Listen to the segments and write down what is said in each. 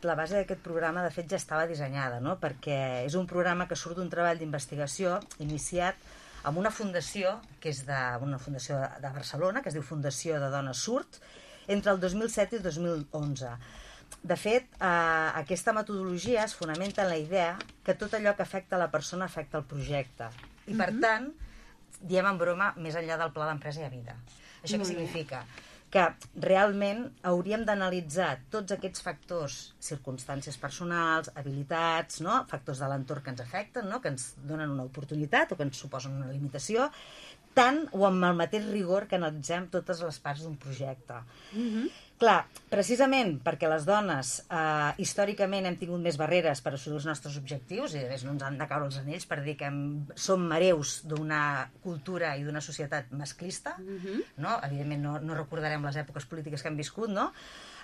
La base d'aquest programa, de fet, ja estava dissenyada, no? Perquè és un programa que surt d'un treball d'investigació iniciat amb una fundació, que és una fundació de Barcelona, que es diu Fundació de Dones Surt, entre el 2007 i el 2011. De fet, aquesta metodologia es fonamenta en la idea que tot allò que afecta la persona afecta el projecte. I, per tant, diem en broma, més enllà del pla d'empresa i a vida. Això què significa? Que realment hauríem d'analitzar tots aquests factors, circumstàncies personals, habilitats, no? Factors de l'entorn que ens afecten, no? Que ens donen una oportunitat o que ens suposen una limitació, tant o amb el mateix rigor que analitzem totes les parts d'un projecte. Clar, precisament perquè les dones històricament hem tingut més barreres per assolir els nostres objectius, i a més no ens han de caure els anells per dir que som hereus d'una cultura i d'una societat masclista, no? Evidentment no recordarem les èpoques polítiques que hem viscut, no?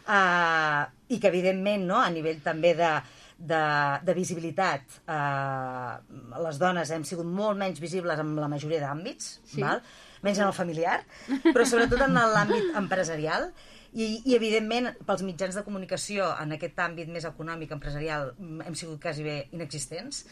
I que evidentment, no? A nivell també de visibilitat, les dones hem sigut molt menys visibles en la majoria d'àmbits, val? Menys en el familiar, però sobretot en l'àmbit empresarial. I evidentment, pels mitjans de comunicació en aquest àmbit més econòmic, empresarial, hem sigut quasi bé inexistents.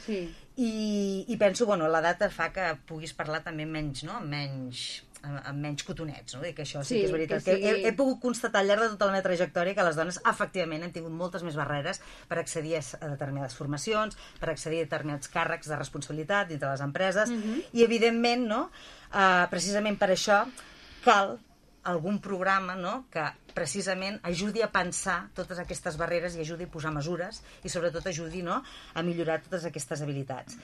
I penso, bueno, l'edat fa que puguis parlar també menys, no? Amb menys cotonets, no? Dic que això sí que és veritat. He pogut constatar al llarg de tota la meva trajectòria que les dones, efectivament, hem tingut moltes més barreres per accedir a determinades formacions, per accedir a determinats càrrecs de responsabilitat dintre les empreses, i evidentment, no? Precisament per això cal algun programa, no?, que precisament ajudi a pensar totes aquestes barreres i ajudi a posar mesures i sobretot ajudi, no?, a millorar totes aquestes habilitats.